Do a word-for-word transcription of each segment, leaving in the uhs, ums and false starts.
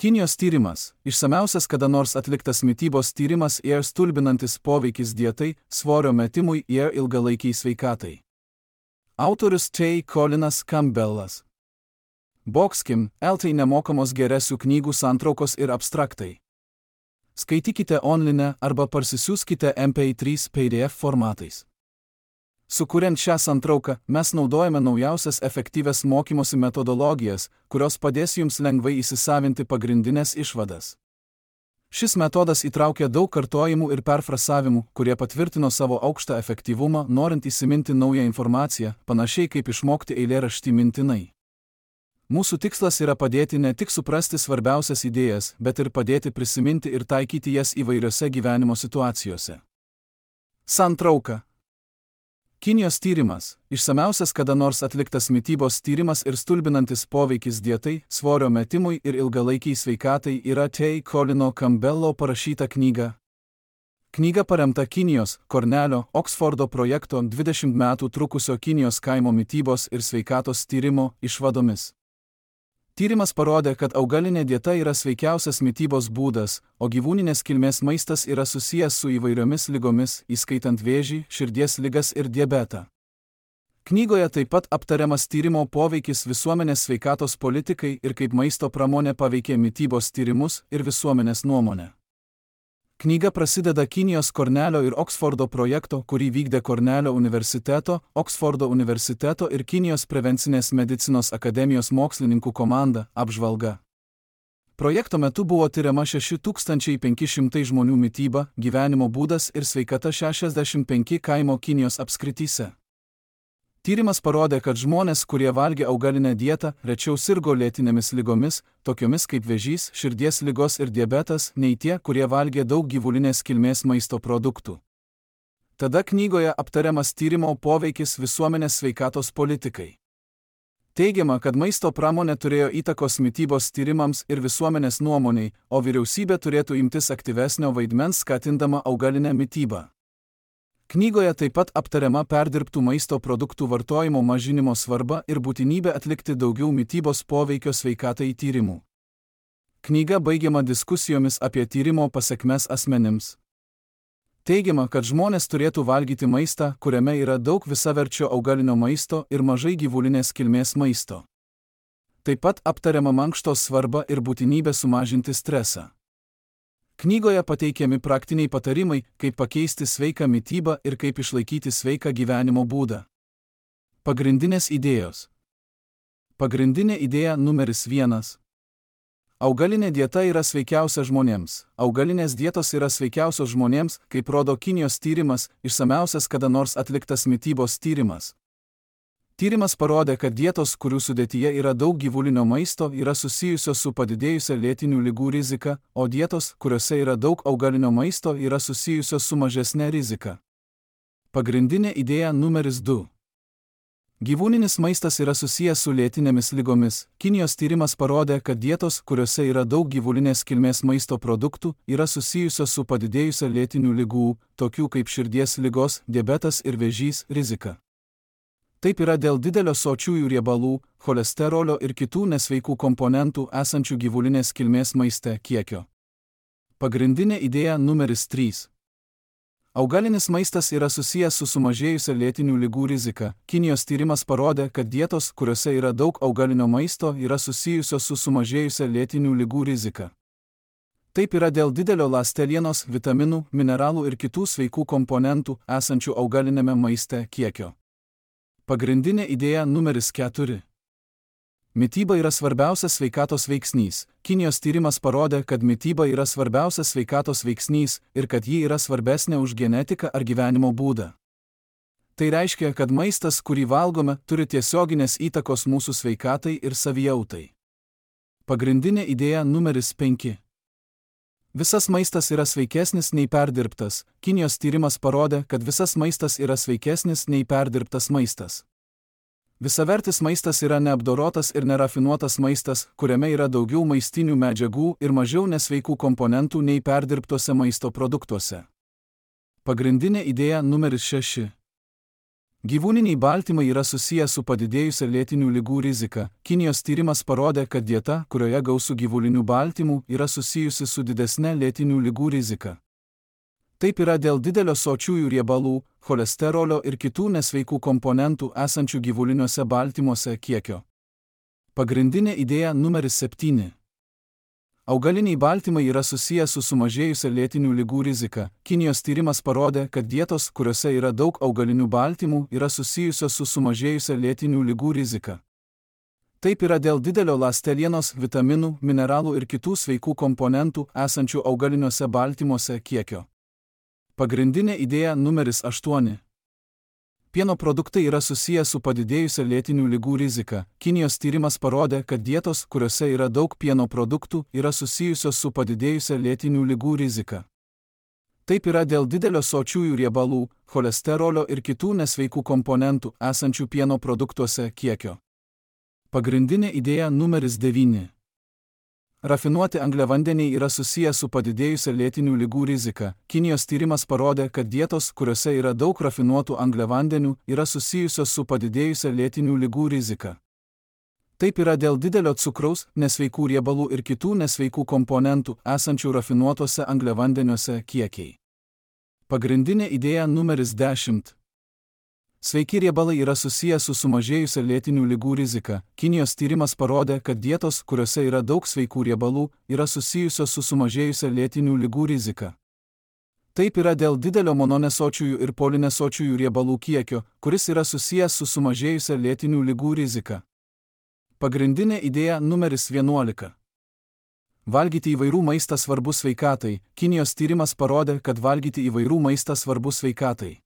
Kinijos tyrimas – išsamiausias kada nors atliktas mitybos tyrimas ir stulbinantis poveikis dietai, svorio metimui ir ilgalaikiai sveikatai. Autorius T. Colinas Campbellas. Boxkim, L T nemokamos geresių knygų santraukos ir abstraktai. Skaitykite online arba parsisiųskite M P trys P D F formatais. Sukuriant šią santrauką, mes naudojame naujausias efektyvias mokymosi metodologijas, kurios padės jums lengvai įsisavinti pagrindinės išvadas. Šis metodas įtraukia daug kartojimų ir perfrasavimų, kurie patvirtino savo aukštą efektyvumą, norint įsiminti naują informaciją, panašiai kaip išmokti eilėraštį mintinai. Mūsų tikslas yra padėti ne tik suprasti svarbiausias idėjas, bet ir padėti prisiminti ir taikyti jas įvairiose gyvenimo situacijose. Santrauka. Kinijos tyrimas – išsamiausias kada nors atliktas mitybos tyrimas ir stulbinantis poveikis dietai, svorio metimui ir ilgalaikiai sveikatai yra T. Colino Campbello parašyta knyga. Knyga paremta Kinijos, Kornelio, Oksfordo projekto dvidešimt metų trukusio Kinijos kaimo mitybos ir sveikatos tyrimo išvadomis. Tyrimas parodė, kad augalinė dieta yra sveikiausias mitybos būdas, o gyvūninės kilmės maistas yra susijęs su įvairiomis ligomis, įskaitant vėžį, širdies ligas ir diabetą. Knygoje taip pat aptariamas tyrimo poveikis visuomenės sveikatos politikai ir kaip maisto pramonė paveikė mitybos tyrimus ir visuomenės nuomonę. Knyga prasideda Kinijos Kornelio ir Oksfordo projekto, kurį vykdė Kornelio universiteto, Oksfordo universiteto ir Kinijos prevencinės medicinos akademijos mokslininkų komanda apžvalga. Projekto metu buvo tiriama šeši tūkstančiai penki šimtai žmonių mityba, gyvenimo būdas ir sveikata šešiasdešimt penki kaimo Kinijos apskrityse. Tyrimas parodė, kad žmonės, kurie valgė augalinę dietą, rečiau sirgo lėtinėmis ligomis, tokiomis kaip vėžys, širdies ligos ir diabetas, nei tie, kurie valgė daug gyvulinės kilmės maisto produktų. Tada knygoje aptariamas tyrimo poveikis visuomenės sveikatos politikai. Teigiama, kad maisto pramonė turėjo įtakos mitybos tyrimams ir visuomenės nuomoniai, o vyriausybė turėtų imtis aktyvesnio vaidmens skatindama augalinę mitybą. Knygoje taip pat aptariama perdirbtų maisto produktų vartojimo mažinimo svarba ir būtinybė atlikti daugiau mitybos poveikio sveikatai tyrimų. Knyga baigiama diskusijomis apie tyrimo pasekmes asmenims. Teigiama, kad žmonės turėtų valgyti maistą, kuriame yra daug visaverčio augalinio maisto ir mažai gyvulinės kilmės maisto. Taip pat aptariama mankštos svarba ir būtinybė sumažinti stresą. Knygoje pateikiami praktiniai patarimai, kaip pakeisti sveiką mitybą ir kaip išlaikyti sveiką gyvenimo būdą. Pagrindinės idėjos. Pagrindinė idėja numeris vienas. Augalinė dieta yra sveikiausia žmonėms. Augalinės dietos yra sveikiausios žmonėms, kaip rodo Kinijos tyrimas, išsamiausias kada nors atliktas mitybos tyrimas. Tyrimas parodė, kad dietos, kurių sudėtyje yra daug gyvulinio maisto, yra susijusios su padidėjusia lėtinių ligų rizika, o dietos, kuriuose yra daug augalinio maisto, yra susijusios su mažesne rizika. Pagrindinė idėja numeris du. Gyvūninis maistas yra susijęs su lėtinėmis ligomis. Kinijos tyrimas parodė, kad dietos, kuriuose yra daug gyvulinės kilmės maisto produktų, yra susijusios su padidėjusia lėtinių ligų, tokių kaip širdies ligos, diabetas ir vėžys, rizika. Taip yra dėl didelio sočiųjų riebalų, cholesterolio ir kitų nesveikų komponentų esančių gyvulinės kilmės maiste kiekio. Pagrindinė idėja numeris trys. Augalinis maistas yra susijęs su sumažėjusia lėtinių ligų rizika. Kinijos tyrimas parodė, kad dietos, kuriuose yra daug augalinio maisto, yra susijusios su sumažėjusia lėtinių ligų rizika. Taip yra dėl didelio ląstelienos, vitaminų, mineralų ir kitų sveikų komponentų esančių augalinėme maiste kiekio. Pagrindinė idėja numeris keturi. Mityba yra svarbiausias sveikatos veiksnys. Kinijos tyrimas parodė, kad mityba yra svarbiausias sveikatos veiksnys ir kad ji yra svarbesnė už genetiką ar gyvenimo būdą. Tai reiškia, kad maistas, kurį valgome, turi tiesioginės įtakos mūsų sveikatai ir savijautai. Pagrindinė idėja numeris penki. Visas maistas yra sveikesnis nei perdirbtas. Kinijos tyrimas parodė, kad visas maistas yra sveikesnis nei perdirbtas maistas. Visavertis maistas yra neapdorotas ir nerafinuotas maistas, kuriame yra daugiau maistinių medžiagų ir mažiau nesveikų komponentų nei perdirbtuose maisto produktuose. Pagrindinė idėja numeris šeši. Gyvūniniai baltymai yra susiję su padidėjusia lėtinių ligų rizika. Kinijos tyrimas parodė, kad dieta, kurioje gausu gyvulinių baltymų, yra susijusi su didesne lėtinių ligų rizika. Taip yra dėl didelio sočiųjų riebalų, cholesterolio ir kitų nesveikų komponentų esančių gyvuliniuose baltymuose kiekio. Pagrindinė idėja numeris septyni. Augaliniai baltymai yra susiję su sumažėjusia lėtinių ligų rizika. Kinijos tyrimas parodė, kad dietos, kuriuose yra daug augalinių baltymų, yra susijusios su sumažėjusia lėtinių ligų rizika. Taip yra dėl didelio ląstelienos, vitaminų, mineralų ir kitų sveikų komponentų esančių augaliniuose baltymuose kiekio. Pagrindinė idėja numeris aštuoni. Pieno produktai yra susiję su padidėjusia lėtinių ligų rizika. Kinijos tyrimas parodė, kad dietos, kuriuose yra daug pieno produktų, yra susijusios su padidėjusia lėtinių ligų rizika. Taip yra dėl didelio sočiųjų riebalų, cholesterolio ir kitų nesveikų komponentų esančių pieno produktuose kiekio. Pagrindinė idėja numeris devyni. Rafinuoti angliavandeniai yra susiję su padidėjusia lėtinių ligų rizika. Kinijos tyrimas parodė, kad dietos, kuriuose yra daug rafinuotų angliavandenių, yra susijusios su padidėjusia lėtinių ligų rizika. Taip yra dėl didelio cukraus, nesveikų riebalų ir kitų nesveikų komponentų esančių rafinuotuose angliavandeniuose kiekiai. Pagrindinė idėja numeris dešimt. Sveiki riebalai yra susiję su sumažėjusia lėtinių ligų rizika. Kinijos tyrimas parodė, kad dietos, kuriuose yra daug sveikų riebalų, yra susijusios su sumažėjusia lėtinių ligų rizika. Taip yra dėl didelio mononesočiųjų ir polinesočiųjų riebalų kiekio, kuris yra susijęs su sumažėjusia lėtinių ligų rizika. Pagrindinė idėja numeris vienuolika. Valgyti įvairių maistą svarbu sveikatai. Kinijos tyrimas parodė, kad valgyti įvairių maistą svarbu sveikatai.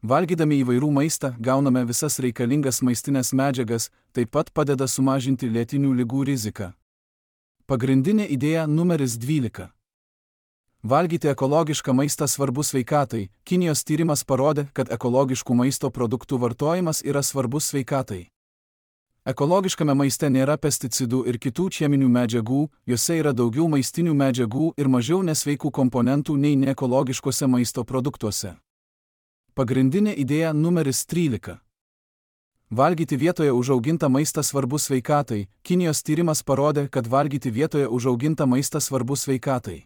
Valgydami įvairių maistą gauname visas reikalingas maistinės medžiagas, taip pat padeda sumažinti lėtinių ligų riziką. Pagrindinė idėja numeris dvylika. Valgyti ekologišką maistą svarbu sveikatai. Kinijos tyrimas parodė, kad ekologiškų maisto produktų vartojimas yra svarbus sveikatai. Ekologiškame maiste nėra pesticidų ir kitų cheminių medžiagų, juose yra daugiau maistinių medžiagų ir mažiau nesveikų komponentų nei neekologiškose maisto produktuose. Pagrindinė idėja numeris trylika. Valgyti vietoje užaugintą maistą svarbu sveikatai. Kinijos tyrimas parodė, kad valgyti vietoje užaugintą maistą svarbu sveikatai.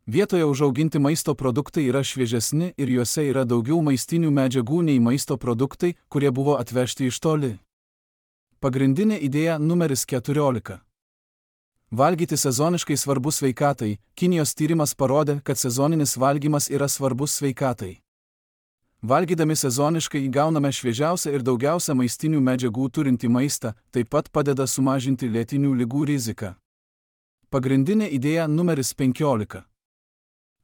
Vietoje užauginti maisto produktai yra šviežesni ir juose yra daugiau maistinių medžiagų nei maisto produktai, kurie buvo atvežti iš toli. Pagrindinė idėja numeris keturiolika. Valgyti sezoniškai svarbu sveikatai. Kinijos tyrimas parodė, kad sezoninis valgymas yra svarbus sveikatai. Valgydami sezoniškai įgauname šviežiausią ir daugiausia maistinių medžiagų turintį maistą, taip pat padeda sumažinti lėtinių ligų riziką. Pagrindinė idėja numeris penkiolika.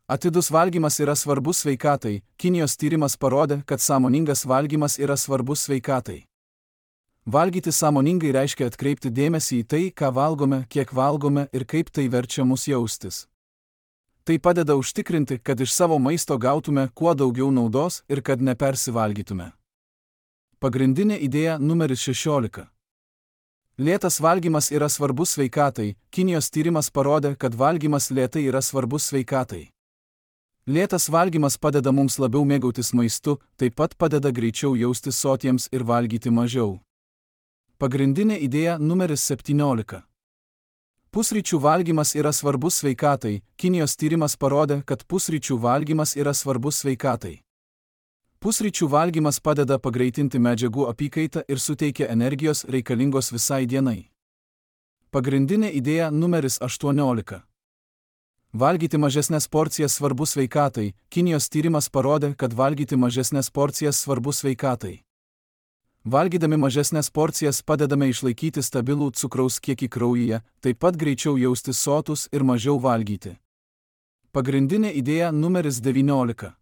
Atidus valgymas yra svarbus sveikatai. Kinijos tyrimas parodė, kad sąmoningas valgymas yra svarbus sveikatai. Valgyti sąmoningai reiškia atkreipti dėmesį į tai, ką valgome, kiek valgome ir kaip tai verčia mus jaustis. Tai padeda užtikrinti, kad iš savo maisto gautume kuo daugiau naudos ir kad nepersivalgytume. Pagrindinė idėja numeris šešiolika. Lėtas valgymas yra svarbus sveikatai. Kinijos tyrimas parodė, kad valgymas lėtai yra svarbus sveikatai. Lėtas valgymas padeda mums labiau mėgautis maistu, taip pat padeda greičiau jaustis sotiems ir valgyti mažiau. Pagrindinė idėja numeris septyniolika. Pusryčių valgymas yra svarbus sveikatai. Kinijos tyrimas parodė, kad pusryčių valgymas yra svarbus sveikatai. Pusryčių valgymas padeda pagreitinti medžiagų apykaitą ir suteikia energijos reikalingos visai dienai. Pagrindinė idėja numeris aštuoniolika. Valgyti mažesnės porcijas svarbu sveikatai. Kinijos tyrimas parodė, kad valgyti mažesnės porcijas svarbu sveikatai. Valgydami mažesnės porcijas padedame išlaikyti stabilų cukraus kiekį kraujyje, taip pat greičiau jaustis sotus ir mažiau valgyti. Pagrindinė idėja numeris devyniolika.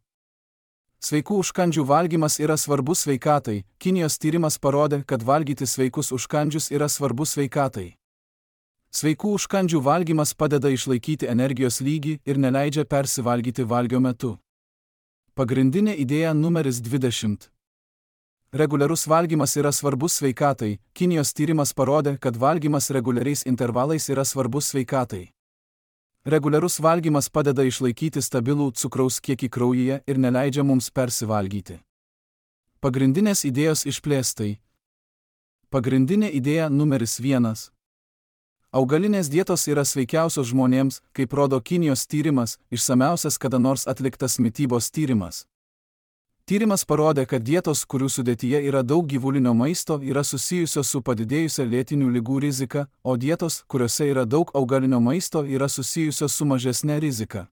Sveikų užkandžių valgymas yra svarbus sveikatai. Kinijos tyrimas parodė, kad valgyti sveikus užkandžius yra svarbus sveikatai. Sveikų užkandžių valgymas padeda išlaikyti energijos lygį ir neleidžia persivalgyti valgio metu. Pagrindinė idėja numeris dvidešimt. Reguliarus valgymas yra svarbus sveikatai. Kinijos tyrimas parodė, kad valgymas reguliariais intervalais yra svarbus sveikatai. Reguliarus valgymas padeda išlaikyti stabilų cukraus kiekį kraujyje ir neleidžia mums persivalgyti. Pagrindinės idėjos išplėstai. Pagrindinė idėja numeris vienas. Augalinės dietos yra sveikiausios žmonėms, kaip rodo Kinijos tyrimas, išsamiausias kada nors atliktas mitybos tyrimas. Tyrimas parodė, kad dietos, kurių sudėtyje yra daug gyvulinio maisto, yra susijusios su padidėjusia lėtinių ligų rizika, o dietos, kuriuose yra daug augalinio maisto, yra susijusios su mažesne rizika.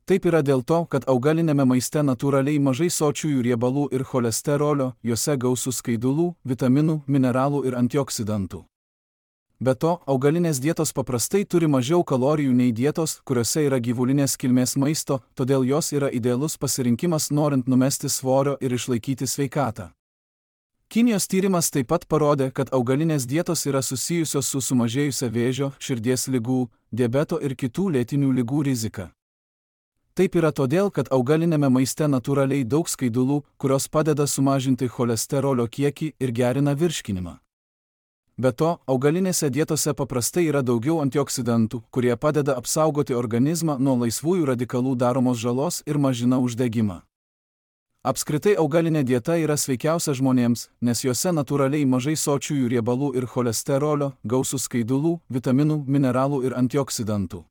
Taip yra dėl to, kad augalinėme maiste natūraliai mažai sočiųjų riebalų ir cholesterolio, juose gausu skaidulų, vitaminų, mineralų ir antioksidantų. Be to, augalinės dietos paprastai turi mažiau kalorijų nei dietos, kuriuose yra gyvulinės kilmės maisto, todėl jos yra idealus pasirinkimas norint numesti svorio ir išlaikyti sveikatą. Kinijos tyrimas taip pat parodė, kad augalinės dietos yra susijusios su sumažėjusia vėžio, širdies ligų, diabeto ir kitų lėtinių ligų rizika. Taip yra todėl, kad augalinėme maiste natūraliai daug skaidulų, kurios padeda sumažinti cholesterolio kiekį ir gerina virškinimą. Be to, augalinėse dietose paprastai yra daugiau antioksidantų, kurie padeda apsaugoti organizmą nuo laisvųjų radikalų daromos žalos ir mažina uždegimą. Apskritai augalinė dieta yra sveikiausia žmonėms, nes juose natūraliai mažai sočiųjų riebalų ir cholesterolio, gausu skaidulų, vitaminų, mineralų ir antioksidantų.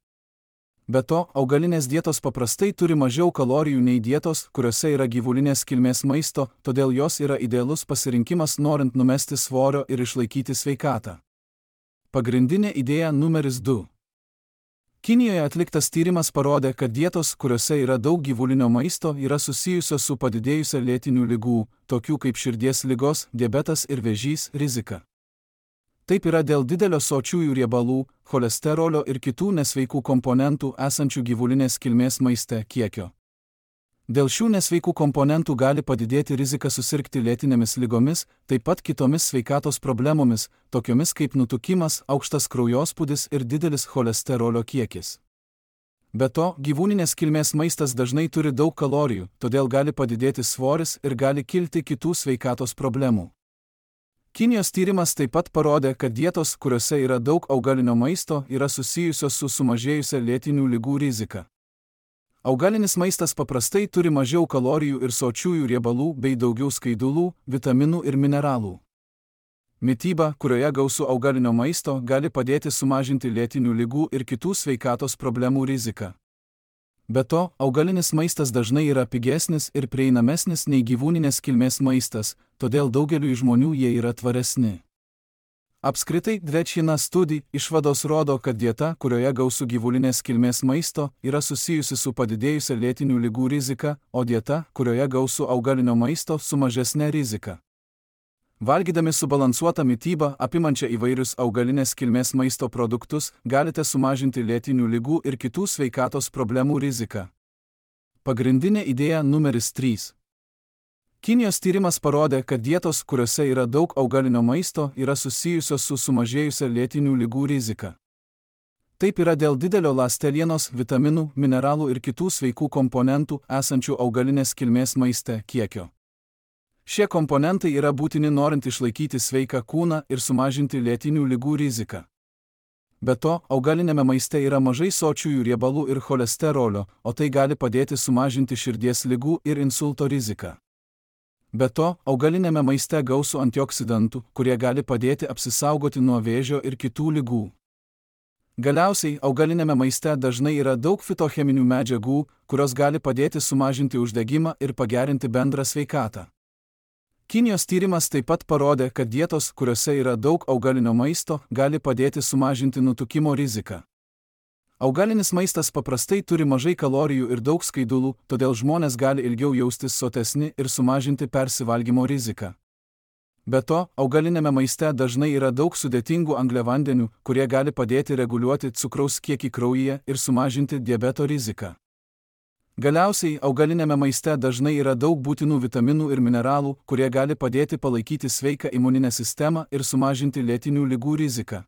Be to, augalinės dietos paprastai turi mažiau kalorijų nei dietos, kuriuose yra gyvulinės kilmės maisto, todėl jos yra idealus pasirinkimas norint numesti svorio ir išlaikyti sveikatą. Pagrindinė idėja numeris du. Kinijoje atliktas tyrimas parodė, kad dietos, kuriuose yra daug gyvulinio maisto, yra susijusios su padidėjusia lėtinių ligų, tokių kaip širdies ligos, diabetas ir vėžys, rizika. Taip yra dėl didelio sočiųjų riebalų, cholesterolio ir kitų nesveikų komponentų esančių gyvulinės kilmės maiste kiekio. Dėl šių nesveikų komponentų gali padidėti rizika susirgti lėtinėmis ligomis, taip pat kitomis sveikatos problemomis, tokiomis kaip nutukimas, aukštas kraujospūdis ir didelis cholesterolio kiekis. Be to, gyvūninės kilmės maistas dažnai turi daug kalorijų, todėl gali padidėti svoris ir gali kilti kitų sveikatos problemų. Kinijos tyrimas taip pat parodė, kad dietos, kuriuose yra daug augalinio maisto, yra susijusios su sumažėjusia lėtinių ligų rizika. Augalinis maistas paprastai turi mažiau kalorijų ir sočiųjų riebalų bei daugiau skaidulų, vitaminų ir mineralų. Mityba, kurioje gausu augalinio maisto, gali padėti sumažinti lėtinių ligų ir kitų sveikatos problemų riziką. Be to, augalinis maistas dažnai yra pigesnis ir prieinamesnis nei gyvūninės kilmės maistas, todėl daugeliui žmonių jie yra tvaresni. Apskritai, Dvečina studija išvados rodo, kad dieta, kurioje gausu gyvulinės kilmės maisto, yra susijusi su padidėjusia lėtinių ligų rizika, o dieta, kurioje gausu augalinio maisto, su mažesne rizika. Valgydami subalansuotą mitybą, apimančią įvairius augalinės kilmės maisto produktus, galite sumažinti lėtinių ligų ir kitų sveikatos problemų riziką. Pagrindinė idėja numeris trys. Kinijos tyrimas parodė, kad dietos, kuriuose yra daug augalinio maisto, yra susijusios su sumažėjusia lėtinių ligų rizika. Taip yra dėl didelio ląstelienos, vitaminų, mineralų ir kitų sveikų komponentų esančių augalinės kilmės maiste kiekio. Šie komponentai yra būtini norint išlaikyti sveiką kūną ir sumažinti lėtinių ligų riziką. Be to, augalinėme maiste yra mažai sočiųjų riebalų ir cholesterolio, o tai gali padėti sumažinti širdies ligų ir insulto riziką. Be to, augalinėme maiste gausu antioksidantų, kurie gali padėti apsisaugoti nuo vėžio ir kitų ligų. Galiausiai, augalinėme maiste dažnai yra daug fitocheminių medžiagų, kurios gali padėti sumažinti uždegimą ir pagerinti bendrą sveikatą. Kinijos tyrimas taip pat parodė, kad dietos, kuriuose yra daug augalinio maisto, gali padėti sumažinti nutukimo riziką. Augalinis maistas paprastai turi mažai kalorijų ir daug skaidulų, todėl žmonės gali ilgiau jaustis sotesni ir sumažinti persivalgymo riziką. Be to, augalinėme maiste dažnai yra daug sudėtingų angliavandenių, kurie gali padėti reguliuoti cukraus kiekį kraujyje ir sumažinti diabeto riziką. Galiausiai, augalinėme maiste dažnai yra daug būtinų vitaminų ir mineralų, kurie gali padėti palaikyti sveiką imuninę sistemą ir sumažinti lėtinių ligų riziką.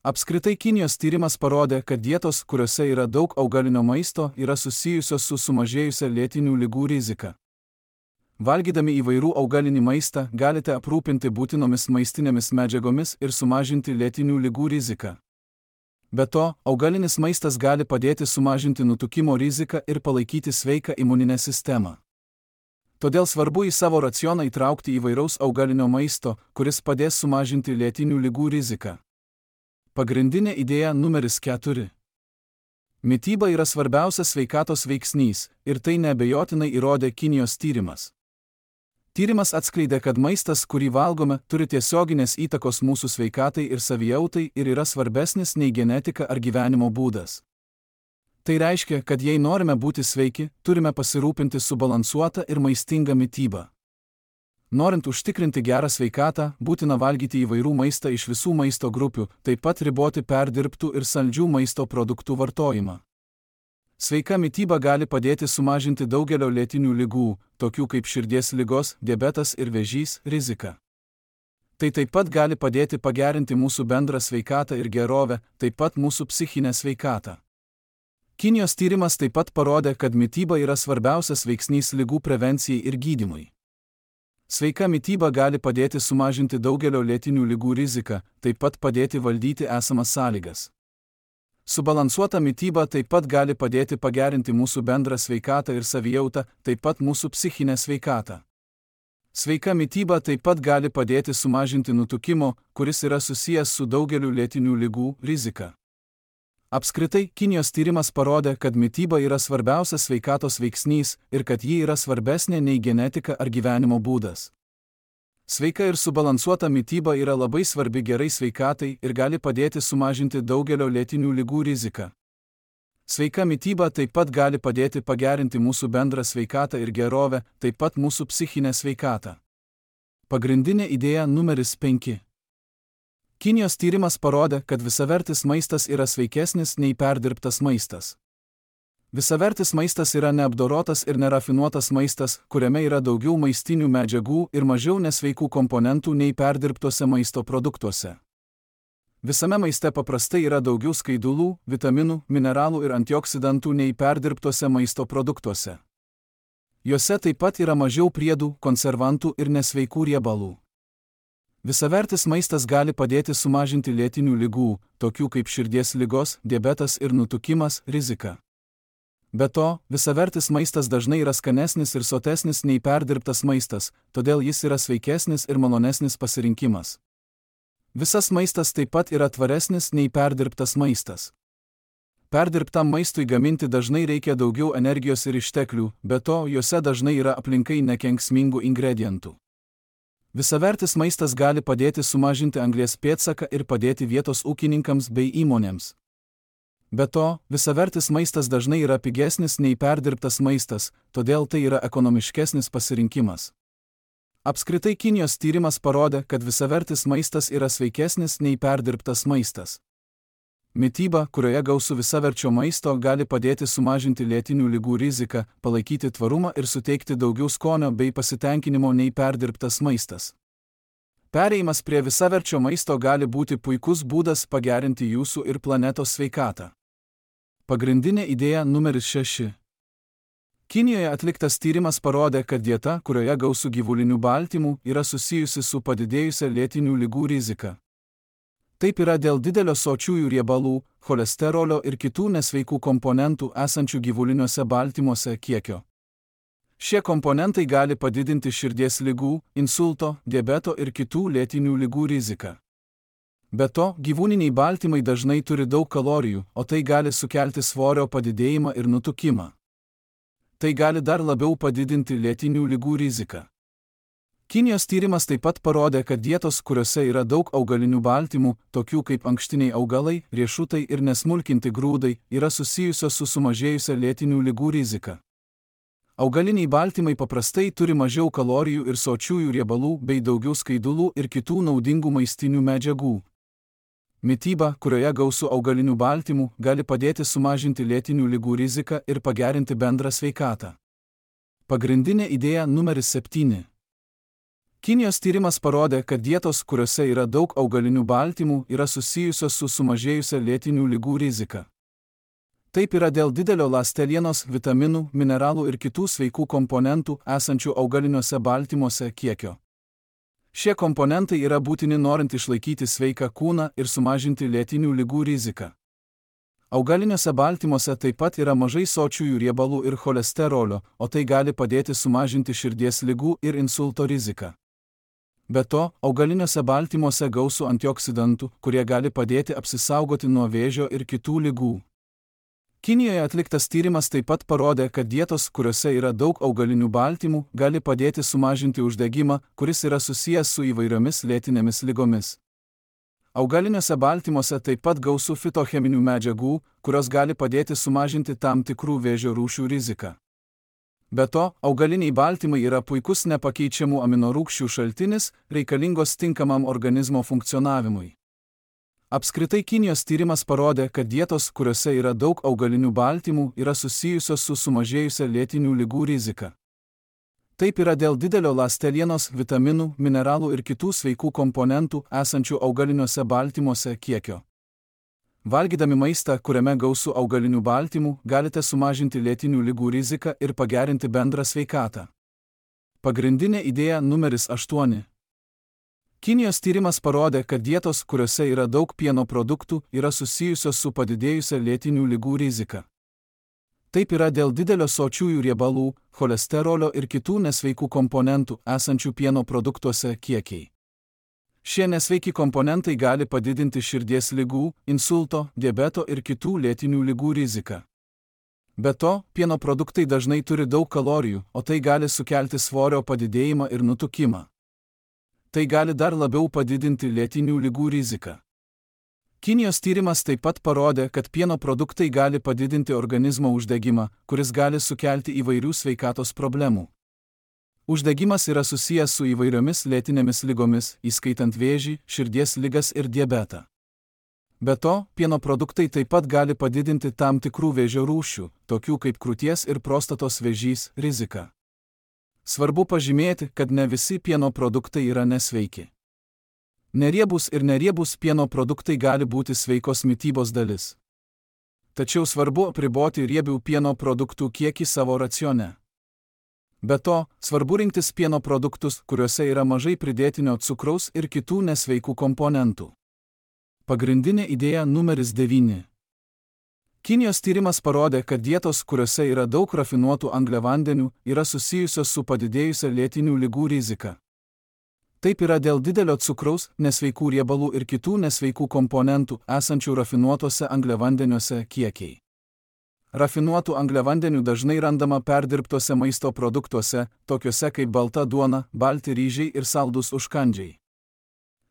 Apskritai Kinijos tyrimas parodė, kad dietos, kuriuose yra daug augalinio maisto, yra susijusios su sumažėjusia lėtinių ligų rizika. Valgydami įvairių augalinį maistą, galite aprūpinti būtinomis maistinėmis medžiagomis ir sumažinti lėtinių ligų riziką. Be to, augalinis maistas gali padėti sumažinti nutukimo riziką ir palaikyti sveiką imuninę sistemą. Todėl svarbu į savo racioną įtraukti įvairaus augalinio maisto, kuris padės sumažinti lėtinių ligų riziką. Pagrindinė idėja numeris keturi. Mityba yra svarbiausias sveikatos veiksnys, ir tai neabejotinai įrodė Kinijos tyrimas. Tyrimas atskleidė, kad maistas, kurį valgome, turi tiesioginės įtakos mūsų sveikatai ir savijautai ir yra svarbesnis nei genetika ar gyvenimo būdas. Tai reiškia, kad jei norime būti sveiki, turime pasirūpinti subalansuotą ir maistingą mitybą. Norint užtikrinti gerą sveikatą, būtina valgyti įvairių maistą iš visų maisto grupių, taip pat riboti perdirbtų ir saldžių maisto produktų vartojimą. Sveika mityba gali padėti sumažinti daugelio lėtinių ligų, tokių kaip širdies ligos, diabetas ir vėžys, riziką. Tai taip pat gali padėti pagerinti mūsų bendrą sveikatą ir gerovę, taip pat mūsų psichinę sveikatą. Kinijos tyrimas taip pat parodė, kad mityba yra svarbiausias veiksnys ligų prevencijai ir gydymui. Sveika mityba gali padėti sumažinti daugelio lėtinių ligų riziką, taip pat padėti valdyti esamas sąlygas. Subalansuota mityba taip pat gali padėti pagerinti mūsų bendrą sveikatą ir savijautą, taip pat mūsų psichinę sveikatą. Sveika mityba taip pat gali padėti sumažinti nutukimo, kuris yra susijęs su daugeliu lėtinių ligų, riziką. Apskritai, Kinijos tyrimas parodė, kad mityba yra svarbiausias sveikatos veiksnys ir kad ji yra svarbesnė nei genetika ar gyvenimo būdas. Sveika ir subalansuota mityba yra labai svarbi gerai sveikatai ir gali padėti sumažinti daugelio lėtinių ligų riziką. Sveika mityba taip pat gali padėti pagerinti mūsų bendrą sveikatą ir gerovę, taip pat mūsų psichinę sveikatą. Pagrindinė idėja numeris penki. Kinijos tyrimas parodė, kad visavertis maistas yra sveikesnis nei perdirbtas maistas. Visavertis maistas yra neapdorotas ir nerafinuotas maistas, kuriame yra daugiau maistinių medžiagų ir mažiau nesveikų komponentų nei perdirbtuose maisto produktuose. Visame maiste paprastai yra daugiau skaidulų, vitaminų, mineralų ir antioksidantų nei perdirbtuose maisto produktuose. Juose taip pat yra mažiau priedų, konservantų ir nesveikų riebalų. Visavertis maistas gali padėti sumažinti lėtinių ligų, tokių kaip širdies ligos, diabetas ir nutukimas, riziką. Be to, visavertis maistas dažnai yra skanesnis ir sotesnis nei perdirbtas maistas, todėl jis yra sveikesnis ir malonesnis pasirinkimas. Visas maistas taip pat yra tvaresnis nei perdirbtas maistas. Perdirbtam maistui gaminti dažnai reikia daugiau energijos ir išteklių, be to, juose dažnai yra aplinkai nekenksmingų ingredientų. Visavertis maistas gali padėti sumažinti anglies pėdsaką ir padėti vietos ūkininkams bei įmonėms. Be to, visavertis maistas dažnai yra pigesnis nei perdirbtas maistas, todėl tai yra ekonomiškesnis pasirinkimas. Apskritai Kinijos tyrimas parodė, kad visavertis maistas yra sveikesnis nei perdirbtas maistas. Mityba, kurioje gausu visaverčio maisto, gali padėti sumažinti lėtinių ligų riziką, palaikyti tvarumą ir suteikti daugiau skonio bei pasitenkinimo nei perdirbtas maistas. Perėjimas prie visaverčio maisto gali būti puikus būdas pagerinti jūsų ir planetos sveikatą. Pagrindinė idėja numeris šeši. Kinijoje atliktas tyrimas parodė, kad dieta, kurioje gausu gyvulinių baltymų, yra susijusi su padidėjusia lėtinių ligų rizika. Taip yra dėl didelio sočiųjų riebalų, cholesterolio ir kitų nesveikų komponentų esančių gyvuliniuose baltymuose kiekio. Šie komponentai gali padidinti širdies ligų, insulto, diabeto ir kitų lėtinių ligų riziką. Be to, gyvūniniai baltymai dažnai turi daug kalorijų, o tai gali sukelti svorio padidėjimą ir nutukimą. Tai gali dar labiau padidinti lėtinių ligų riziką. Kinijos tyrimas taip pat parodė, kad dietos, kuriuose yra daug augalinių baltymų, tokių kaip ankštiniai augalai, riešutai ir nesmulkinti grūdai, yra susijusios su sumažėjusia lėtinių ligų rizika. Augaliniai baltymai paprastai turi mažiau kalorijų ir sočiųjų riebalų bei daugiau skaidulų ir kitų naudingų maistinių medžiagų. Mityba, kurioje gausu augalinių baltymų, gali padėti sumažinti lėtinių ligų riziką ir pagerinti bendrą sveikatą. Pagrindinė idėja numeris septyni. Kinijos tyrimas parodė, kad dietos, kuriuose yra daug augalinių baltymų, yra susijusios su sumažėjusia lėtinių ligų rizika. Taip yra dėl didelio ląstelienos, vitaminų, mineralų ir kitų sveikų komponentų esančių augaliniuose baltymuose kiekio. Šie komponentai yra būtini norint išlaikyti sveiką kūną ir sumažinti lėtinių ligų riziką. Augaliniuose baltymuose taip pat yra mažai sočiųjų riebalų ir cholesterolio, o tai gali padėti sumažinti širdies ligų ir insulto riziką. Be to, augaliniuose baltymuose gausu antioksidantų, kurie gali padėti apsisaugoti nuo vėžio ir kitų ligų. Kinijoje atliktas tyrimas taip pat parodė, kad dietos, kuriuose yra daug augalinių baltymų, gali padėti sumažinti uždegimą, kuris yra susijęs su įvairiomis lėtinėmis ligomis. Augaliniuose baltymuose taip pat gausu fitocheminių medžiagų, kurios gali padėti sumažinti tam tikrų vėžio rūšių riziką. Be to, augaliniai baltymai yra puikus nepakeičiamų aminorūgščių šaltinis, reikalingos tinkamam organizmo funkcionavimui. Apskritai Kinijos tyrimas parodė, kad dietos, kuriuose yra daug augalinių baltymų, yra susijusios su sumažėjusia lėtinių ligų rizika. Taip yra dėl didelio ląstelienos, vitaminų, mineralų ir kitų sveikų komponentų esančių augaliniuose baltymuose kiekio. Valgydami maistą, kuriame gausu augalinių baltymų, galite sumažinti lėtinių ligų riziką ir pagerinti bendrą sveikatą. Pagrindinė idėja numeris aštuoni. Kinijos tyrimas parodė, kad dietos, kuriuose yra daug pieno produktų, yra susijusios su padidėjusia lėtinių ligų rizika. Taip yra dėl didelio sočiųjų riebalų, cholesterolio ir kitų nesveikų komponentų esančių pieno produktuose kiekiai. Šie nesveiki komponentai gali padidinti širdies ligų, insulto, diabeto ir kitų lėtinių ligų riziką. Be to, pieno produktai dažnai turi daug kalorijų, o tai gali sukelti svorio padidėjimą ir nutukimą. Tai gali dar labiau padidinti lėtinių ligų riziką. Kinijos tyrimas taip pat parodė, kad pieno produktai gali padidinti organizmo uždegimą, kuris gali sukelti įvairių sveikatos problemų. Uždegimas yra susijęs su įvairiomis lėtinėmis ligomis, įskaitant vėžį, širdies ligas ir diabetą. Be to, pieno produktai taip pat gali padidinti tam tikrų vėžio rūšių, tokių kaip krūties ir prostatos vėžys, riziką. Svarbu pažymėti, kad ne visi pieno produktai yra nesveiki. Neriebūs ir neriebūs pieno produktai gali būti sveikos mitybos dalis. Tačiau svarbu apriboti riebių pieno produktų kiekį savo racione. Be to, svarbu rinktis pieno produktus, kuriuose yra mažai pridėtinio cukraus ir kitų nesveikų komponentų. Pagrindinė idėja numeris devyni. Kinijos tyrimas parodė, kad dietos, kuriuose yra daug rafinuotų angliavandenių, yra susijusios su padidėjusia lėtinių ligų rizika. Taip yra dėl didelio cukraus, nesveikų riebalų ir kitų nesveikų komponentų esančių rafinuotuose angliavandeniuose kiekiai. Rafinuotų angliavandenių dažnai randama perdirbtuose maisto produktuose, tokiuose kaip balta duona, balti ryžiai ir saldūs užkandžiai.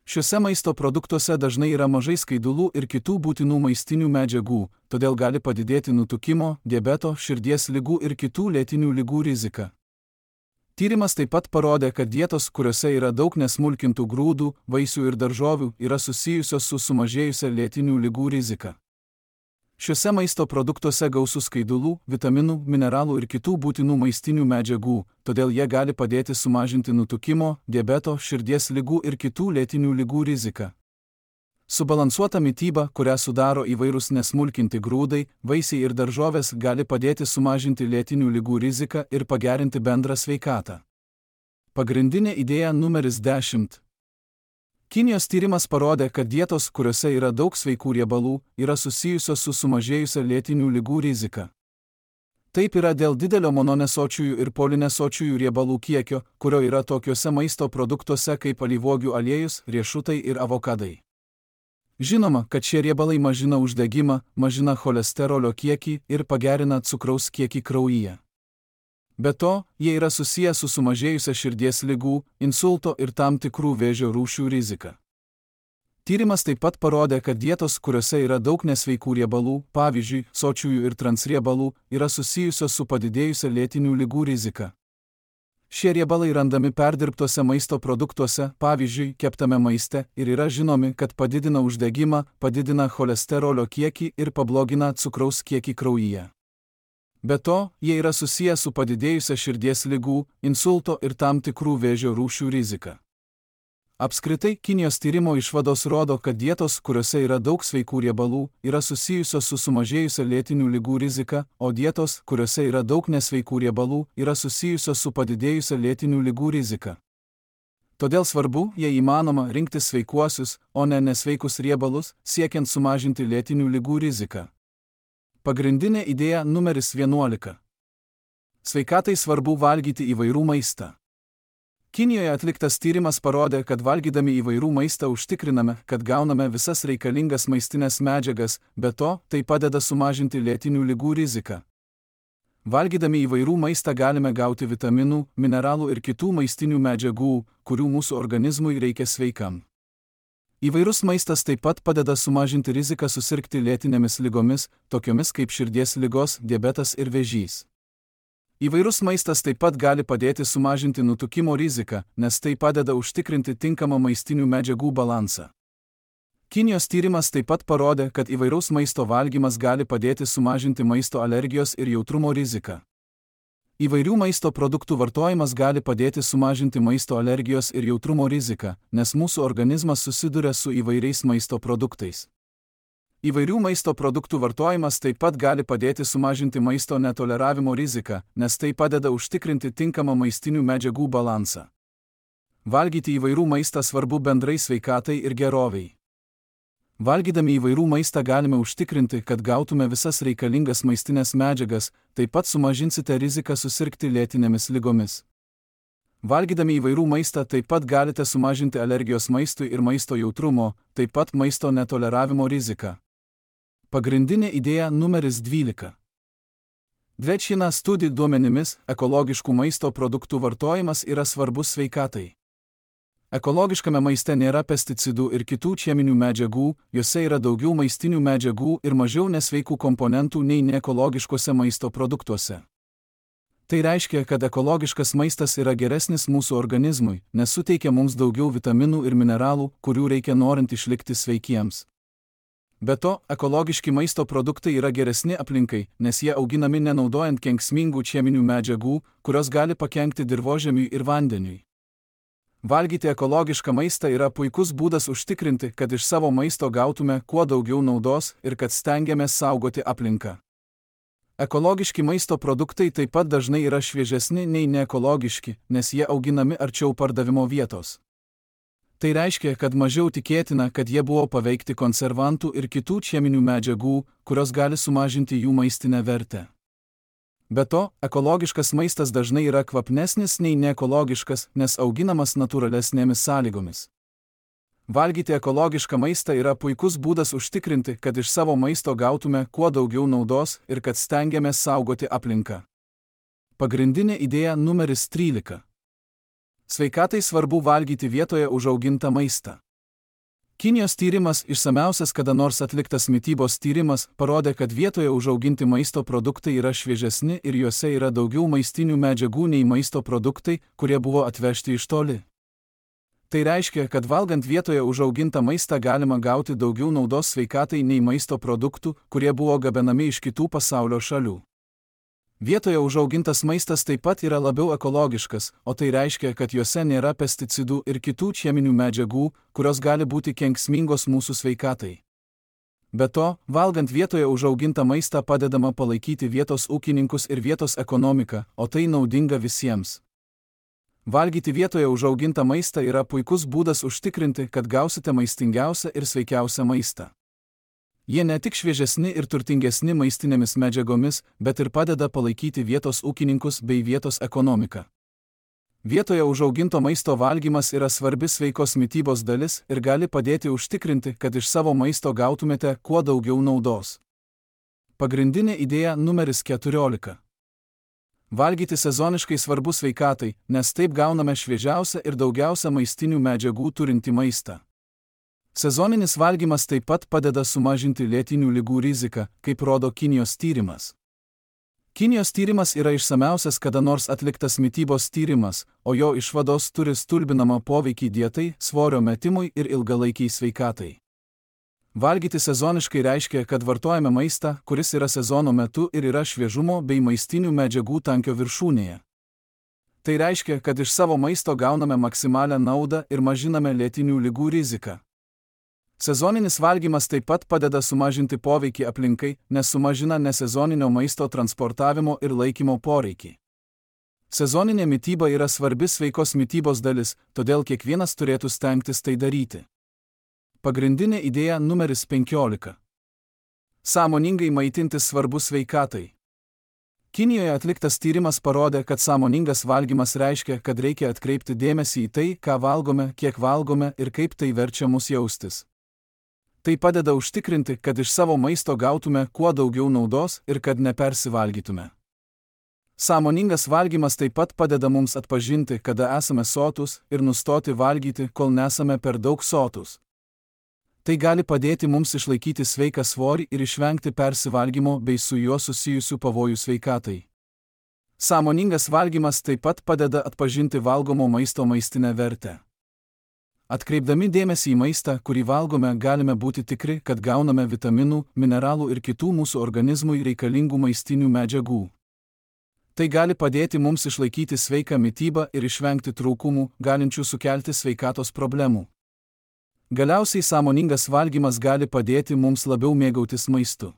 Šiuose maisto produktuose dažnai yra mažai skaidulų ir kitų būtinų maistinių medžiagų, todėl gali padidėti nutukimo, diabeto, širdies ligų ir kitų lėtinių ligų rizika. Tyrimas taip pat parodė, kad dietos, kuriuose yra daug nesmulkintų grūdų, vaisių ir daržovių, yra susijusios su sumažėjusia lėtinių ligų rizika. Šiuose maisto produktuose gausu skaidulų, vitaminų, mineralų ir kitų būtinų maistinių medžiagų, todėl jie gali padėti sumažinti nutukimo, diabeto, širdies ligų ir kitų lėtinių ligų riziką. Subalansuota mityba, kurią sudaro įvairūs nesmulkinti grūdai, vaisiai ir daržovės, gali padėti sumažinti lėtinių ligų riziką ir pagerinti bendrą sveikatą. Pagrindinė idėja numeris dešimt. Kinijos tyrimas parodė, kad dietos, kuriuose yra daug sveikų riebalų, yra susijusios su sumažėjusia lėtinių ligų rizika. Taip yra dėl didelio mononesočiųjų ir polinesočiųjų riebalų kiekio, kurio yra tokiuose maisto produktuose kaip alyvuogių aliejus, riešutai ir avokadai. Žinoma, kad šie riebalai mažina uždegimą, mažina cholesterolio kiekį ir pagerina cukraus kiekį kraujyje. Be to, jie yra susiję su sumažėjusia širdies ligų, insulto ir tam tikrų vėžio rūšių rizika. Tyrimas taip pat parodė, kad dietos, kuriuose yra daug nesveikų riebalų, pavyzdžiui, sočiųjų ir transriebalų, yra susijusios su padidėjusia lėtinių ligų rizika. Šie riebalai randami perdirbtuose maisto produktuose, pavyzdžiui, keptame maiste, ir yra žinomi, kad padidina uždegimą, padidina cholesterolio kiekį ir pablogina cukraus kiekį kraujyje. Be to, jie yra susiję su padidėjusia širdies ligų, insulto ir tam tikrų vėžio rūšių rizika. Apskritai, Kinijos tyrimo išvados rodo, kad dietos, kuriuose yra daug sveikų riebalų, yra susijusios su sumažėjusia lėtinių ligų rizika, o dietos, kuriuose yra daug nesveikų riebalų, yra susijusios su padidėjusia lėtinių ligų rizika. Todėl svarbu, jei įmanoma, rinktis sveikuosius, o ne nesveikus riebalus, siekiant sumažinti lėtinių ligų riziką. Pagrindinė idėja numeris vienuolika. Sveikatai svarbu valgyti įvairų maistą. Kinijoje atliktas tyrimas parodė, kad valgydami įvairų maistą užtikriname, kad gauname visas reikalingas maistinės medžiagas, be to, tai padeda sumažinti lėtinių ligų riziką. Valgydami įvairų maistą galime gauti vitaminų, mineralų ir kitų maistinių medžiagų, kurių mūsų organizmui reikia sveikam. Įvairus maistas taip pat padeda sumažinti riziką susirgti lėtinėmis ligomis, tokiomis kaip širdies ligos, diabetas ir vėžys. Įvairus maistas taip pat gali padėti sumažinti nutukimo riziką, nes tai padeda užtikrinti tinkamą maistinių medžiagų balansą. Kinijos tyrimas taip pat parodė, kad įvairaus maisto valgymas gali padėti sumažinti maisto alergijos ir jautrumo riziką. Įvairių maisto produktų vartojimas gali padėti sumažinti maisto alergijos ir jautrumo riziką, nes mūsų organizmas susiduria su įvairiais maisto produktais. Įvairių maisto produktų vartojimas taip pat gali padėti sumažinti maisto netoleravimo riziką, nes tai padeda užtikrinti tinkamą maistinių medžiagų balansą. Valgyti įvairių maistą svarbu bendrai sveikatai ir geroviai. Valgydami įvairių maistą galime užtikrinti, kad gautume visas reikalingas maistinės medžiagas, taip pat sumažinsite riziką susirgti lėtinėmis ligomis. Valgydami įvairių maistą taip pat galite sumažinti alergijos maistui ir maisto jautrumo, taip pat maisto netoleravimo riziką. Pagrindinė idėja numeris dvylika. Dvečina studijų duomenimis, ekologiškų maisto produktų vartojimas yra svarbus sveikatai. Ekologiškame maiste nėra pesticidų ir kitų cheminių medžiagų, juose yra daugiau maistinių medžiagų ir mažiau nesveikų komponentų nei neekologiškose maisto produktuose. Tai reiškia, kad ekologiškas maistas yra geresnis mūsų organizmui, nes suteikia mums daugiau vitaminų ir mineralų, kurių reikia norint išlikti sveikiems. Be to, ekologiški maisto produktai yra geresni aplinkai, nes jie auginami nenaudojant kenksmingų cheminių medžiagų, kurios gali pakenkti dirvožemiui ir vandeniui. Valgyti ekologišką maistą yra puikus būdas užtikrinti, kad iš savo maisto gautume kuo daugiau naudos ir kad stengiamės saugoti aplinką. Ekologiški maisto produktai taip pat dažnai yra šviežesni nei neekologiški, nes jie auginami arčiau pardavimo vietos. Tai reiškia, kad mažiau tikėtina, kad jie buvo paveikti konservantų ir kitų cheminių medžiagų, kurios gali sumažinti jų maistinę vertę. Be to, ekologiškas maistas dažnai yra kvapnesnis nei neekologiškas, nes auginamas natūralesnėmis sąlygomis. Valgyti ekologišką maistą yra puikus būdas užtikrinti, kad iš savo maisto gautume kuo daugiau naudos ir kad stengiamės saugoti aplinką. Pagrindinė idėja numeris trylika. Sveikatai svarbu valgyti vietoje užaugintą maistą. Kinijos tyrimas, išsamiausias kada nors atliktas mitybos tyrimas, parodė, kad vietoje užauginti maisto produktai yra šviežesni ir juose yra daugiau maistinių medžiagų nei maisto produktai, kurie buvo atvežti iš toli. Tai reiškia, kad valgant vietoje užaugintą maistą galima gauti daugiau naudos sveikatai nei maisto produktų, kurie buvo gabenami iš kitų pasaulio šalių. Vietoje užaugintas maistas taip pat yra labiau ekologiškas, o tai reiškia, kad juose nėra pesticidų ir kitų cheminių medžiagų, kurios gali būti kenksmingos mūsų sveikatai. Be to, valgant vietoje užaugintą maistą padedama palaikyti vietos ūkininkus ir vietos ekonomiką, o tai naudinga visiems. Valgyti vietoje užaugintą maistą yra puikus būdas užtikrinti, kad gausite maistingiausią ir sveikiausią maistą. Jie ne tik šviežesni ir turtingesni maistinėmis medžiagomis, bet ir padeda palaikyti vietos ūkininkus bei vietos ekonomiką. Vietoje užauginto maisto valgymas yra svarbi sveikos mitybos dalis ir gali padėti užtikrinti, kad iš savo maisto gautumėte kuo daugiau naudos. Pagrindinė idėja numeris keturiolika. Valgyti sezoniškai svarbu sveikatai, nes taip gauname šviežiausią ir daugiausia maistinių medžiagų turintį maistą. Sezoninis valgymas taip pat padeda sumažinti lėtinių ligų riziką, kaip rodo Kinijos tyrimas. Kinijos tyrimas yra išsamiausias kada nors atliktas mitybos tyrimas, o jo išvados turi stulbinamą poveikį dietai, svorio metimui ir ilgalaikiai sveikatai. Valgyti sezoniškai reiškia, kad vartojame maistą, kuris yra sezono metu ir yra šviežumo bei maistinių medžiagų tankio viršūnėje. Tai reiškia, kad iš savo maisto gauname maksimalią naudą ir mažiname lėtinių ligų riziką. Sezoninis valgymas taip pat padeda sumažinti poveikį aplinkai, nes sumažina nesezoninio maisto transportavimo ir laikymo poreikį. Sezoninė mityba yra svarbi sveikos mitybos dalis, todėl kiekvienas turėtų stengtis tai daryti. Pagrindinė idėja numeris penkiolika. Sąmoningai maitintis svarbu sveikatai. Kinijoje atliktas tyrimas parodė, kad sąmoningas valgymas reiškia, kad reikia atkreipti dėmesį į tai, ką valgome, kiek valgome ir kaip tai verčia mus jaustis. Tai padeda užtikrinti, kad iš savo maisto gautume kuo daugiau naudos ir kad nepersivalgytume. Sąmoningas valgymas taip pat padeda mums atpažinti, kada esame sotūs ir nustoti valgyti, kol nesame per daug sotūs. Tai gali padėti mums išlaikyti sveiką svorį ir išvengti persivalgymo bei su juo susijusių pavojų sveikatai. Sąmoningas valgymas taip pat padeda atpažinti valgomo maisto maistinę vertę. Atkreipdami dėmesį į maistą, kurį valgome, galime būti tikri, kad gauname vitaminų, mineralų ir kitų mūsų organizmui reikalingų maistinių medžiagų. Tai gali padėti mums išlaikyti sveiką mitybą ir išvengti trūkumų, galinčių sukelti sveikatos problemų. Galiausiai sąmoningas valgymas gali padėti mums labiau mėgautis maistu.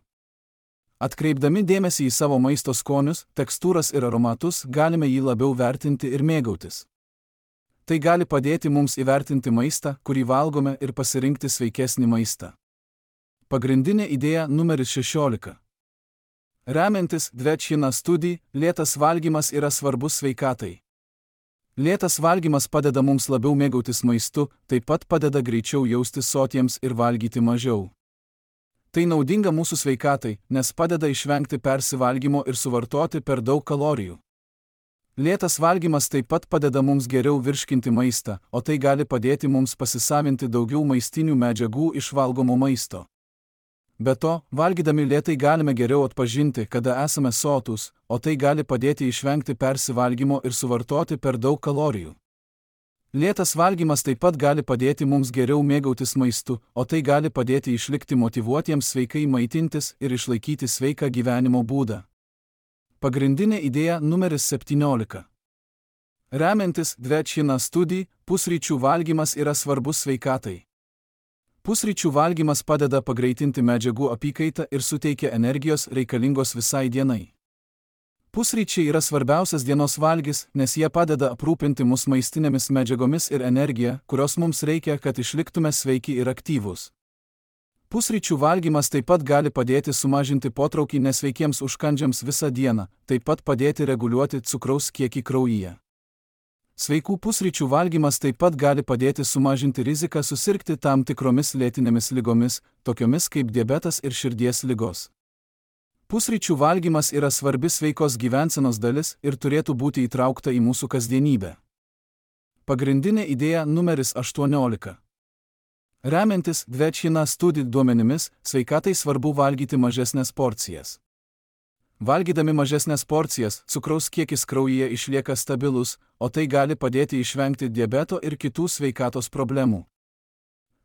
Atkreipdami dėmesį į savo maisto skonius, tekstūras ir aromatus, galime jį labiau vertinti ir mėgautis. Tai gali padėti mums įvertinti maistą, kurį valgome, ir pasirinkti sveikesnį maistą. Pagrindinė idėja numeris šešiolika. Remiantis Dvečina studija, lėtas valgymas yra svarbus sveikatai. Lėtas valgymas padeda mums labiau mėgautis maistu, taip pat padeda greičiau jaustis sotiems ir valgyti mažiau. Tai naudinga mūsų sveikatai, nes padeda išvengti persivalgymo ir suvartoti per daug kalorijų. Lėtas valgymas taip pat padeda mums geriau virškinti maistą, o tai gali padėti mums pasisavinti daugiau maistinių medžiagų iš valgomo maisto. Be to, valgydami lėtai galime geriau atpažinti, kada esame sotūs, o tai gali padėti išvengti persivalgymo ir suvartoti per daug kalorijų. Lėtas valgymas taip pat gali padėti mums geriau mėgautis maistu, o tai gali padėti išlikti motyvuotiems sveikai maitintis ir išlaikyti sveiką gyvenimo būdą. Pagrindinė idėja numeris septyniolika. Remiantis Dvečina studija, pusryčių valgymas yra svarbus sveikatai. Pusryčių valgymas padeda pagreitinti medžiagų apykaitą ir suteikia energijos reikalingos visai dienai. Pusryčiai yra svarbiausias dienos valgis, nes jie padeda aprūpinti mus maistinėmis medžiagomis ir energija, kurios mums reikia, kad išliktume sveiki ir aktyvūs. Pusryčių valgymas taip pat gali padėti sumažinti potraukį nesveikiems užkandžiams visą dieną, taip pat padėti reguliuoti cukraus kiekį kraujyje. Sveikų pusryčių valgymas taip pat gali padėti sumažinti riziką susirgti tam tikromis lėtinėmis ligomis, tokiomis kaip diabetas ir širdies ligos. Pusryčių valgymas yra svarbi sveikos gyvensenos dalis ir turėtų būti įtraukta į mūsų kasdienybę. Pagrindinė idėja numeris aštuoniolika. Remiantis Dvečina studija duomenimis, sveikatai svarbu valgyti mažesnės porcijas. Valgydami mažesnės porcijas, cukraus kiekis kraujyje išlieka stabilus, o tai gali padėti išvengti diabeto ir kitų sveikatos problemų.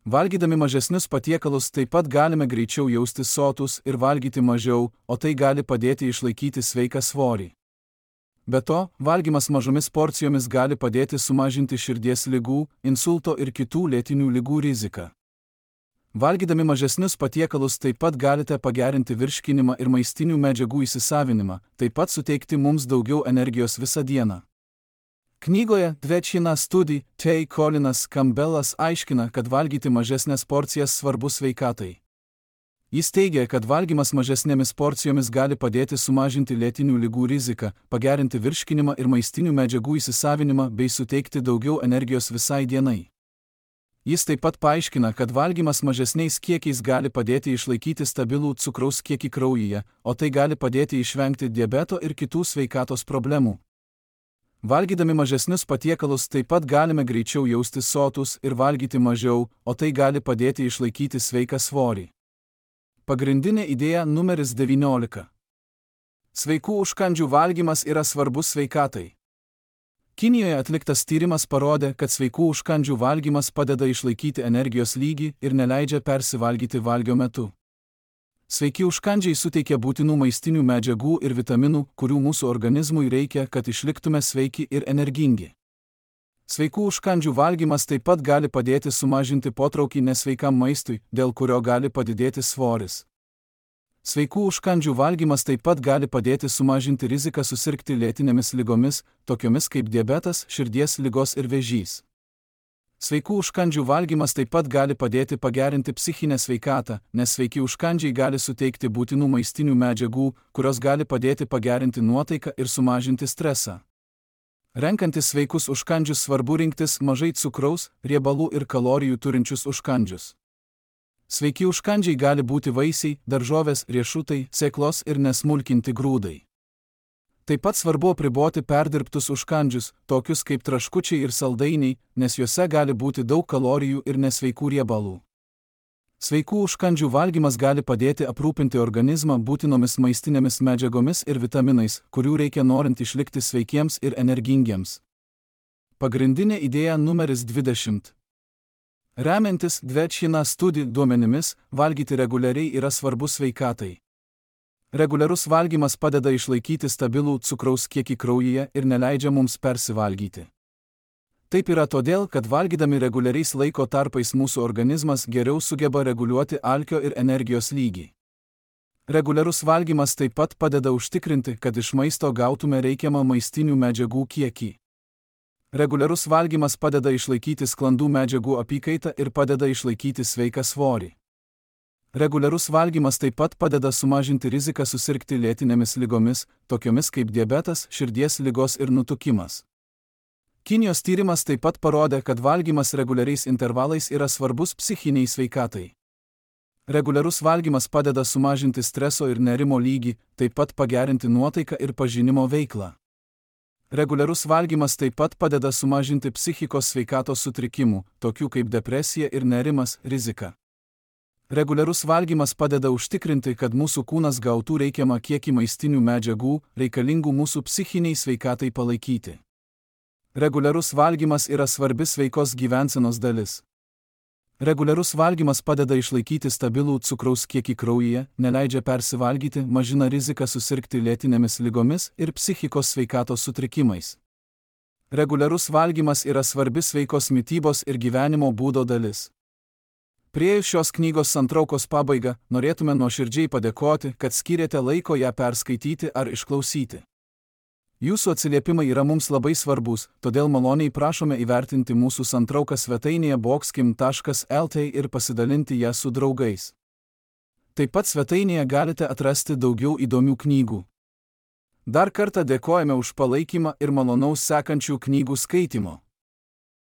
Valgydami mažesnius patiekalus taip pat galime greičiau jaustis sotūs ir valgyti mažiau, o tai gali padėti išlaikyti sveiką svorį. Be to, valgymas mažomis porcijomis gali padėti sumažinti širdies ligų, insulto ir kitų lėtinių ligų riziką. Valgydami mažesnius patiekalus taip pat galite pagerinti virškinimą ir maistinių medžiagų įsisavinimą, taip pat suteikti mums daugiau energijos visą dieną. Knygoje Dvečina studija T. Colinas Campbellas aiškina, kad valgyti mažesnės porcijas svarbu sveikatai. Jis teigia, kad valgymas mažesnėmis porcijomis gali padėti sumažinti lėtinių ligų riziką, pagerinti virškinimą ir maistinių medžiagų įsisavinimą bei suteikti daugiau energijos visai dienai. Jis taip pat paaiškina, kad valgymas mažesniais kiekiais gali padėti išlaikyti stabilų cukraus kiekį kraujyje, o tai gali padėti išvengti diabeto ir kitų sveikatos problemų. Valgydami mažesnius patiekalus taip pat galime greičiau jaustis sotūs ir valgyti mažiau, o tai gali padėti išlaikyti sveiką svorį. Pagrindinė idėja numeris devyniolika. Sveikų užkandžių valgymas yra svarbus sveikatai. Kinijoje atliktas tyrimas parodė, kad sveikų užkandžių valgymas padeda išlaikyti energijos lygį ir neleidžia persivalgyti valgio metu. Sveiki užkandžiai suteikia būtinų maistinių medžiagų ir vitaminų, kurių mūsų organizmui reikia, kad išliktume sveiki ir energingi. Sveikų užkandžių valgymas taip pat gali padėti sumažinti potraukį nesveikam maistui, dėl kurio gali padidėti svoris. Sveikų užkandžių valgymas taip pat gali padėti sumažinti riziką susirgti lėtinėmis ligomis, tokiomis kaip diabetas, širdies ligos ir vėžys. Sveikų užkandžių valgymas taip pat gali padėti pagerinti psichinę sveikatą, nes sveiki užkandžiai gali suteikti būtinų maistinių medžiagų, kurios gali padėti pagerinti nuotaiką ir sumažinti stresą. Renkantis sveikus užkandžius svarbu rinktis mažai cukraus, riebalų ir kalorijų turinčius užkandžius. Sveiki užkandžiai gali būti vaisiai, daržovės, riešutai, sėklos ir nesmulkinti grūdai. Taip pat svarbu apriboti perdirbtus užkandžius, tokius kaip traškučiai ir saldainiai, nes juose gali būti daug kalorijų ir nesveikų riebalų. Sveikų užkandžių valgymas gali padėti aprūpinti organizmą būtinomis maistinėmis medžiagomis ir vitaminais, kurių reikia norint išlikti sveikiems ir energingiems. Pagrindinė idėja numeris dvidešimt. Remiantis Dvečina studijų duomenimis, valgyti reguliariai yra svarbu sveikatai. Reguliarus valgymas padeda išlaikyti stabilų cukraus kiekį kraujyje ir neleidžia mums persivalgyti. Taip yra todėl, kad valgydami reguliariais laiko tarpais mūsų organizmas geriau sugeba reguliuoti alkio ir energijos lygį. Reguliarus valgymas taip pat padeda užtikrinti, kad iš maisto gautume reikiamą maistinių medžiagų kiekį. Reguliarus valgymas padeda išlaikyti sklandų medžiagų apykaitą ir padeda išlaikyti sveiką svorį. Reguliarus valgymas taip pat padeda sumažinti riziką susirgti lėtinėmis ligomis, tokiomis kaip diabetas, širdies ligos ir nutukimas. Kinijos tyrimas taip pat parodė, kad valgymas reguliariais intervalais yra svarbus psichiniai sveikatai. Reguliarus valgymas padeda sumažinti streso ir nerimo lygį, taip pat pagerinti nuotaiką ir pažinimo veiklą. Reguliarus valgymas taip pat padeda sumažinti psichikos sveikatos sutrikimų, tokių kaip depresija ir nerimas, riziką. Reguliarus valgymas padeda užtikrinti, kad mūsų kūnas gautų reikiamą kiekį maistinių medžiagų, reikalingų mūsų psichiniai sveikatai palaikyti. Reguliarus valgymas yra svarbi sveikos gyvensenos dalis. Reguliarus valgymas padeda išlaikyti stabilų cukraus kiekį kraujyje, neleidžia persivalgyti, mažina riziką susirgti lėtinėmis ligomis ir psichikos sveikatos sutrikimais. Reguliarus valgymas yra svarbi sveikos mitybos ir gyvenimo būdo dalis. Priėjus šios knygos santraukos pabaigą, norėtume nuoširdžiai padėkoti, kad skyrėte laiko ją perskaityti ar išklausyti. Jūsų atsiliepimai yra mums labai svarbus, todėl maloniai prašome įvertinti mūsų santrauką svetainėje boxkim taškas el t ir pasidalinti ją su draugais. Taip pat svetainėje galite atrasti daugiau įdomių knygų. Dar kartą dėkojame už palaikymą ir malonaus sekančių knygų skaitimo.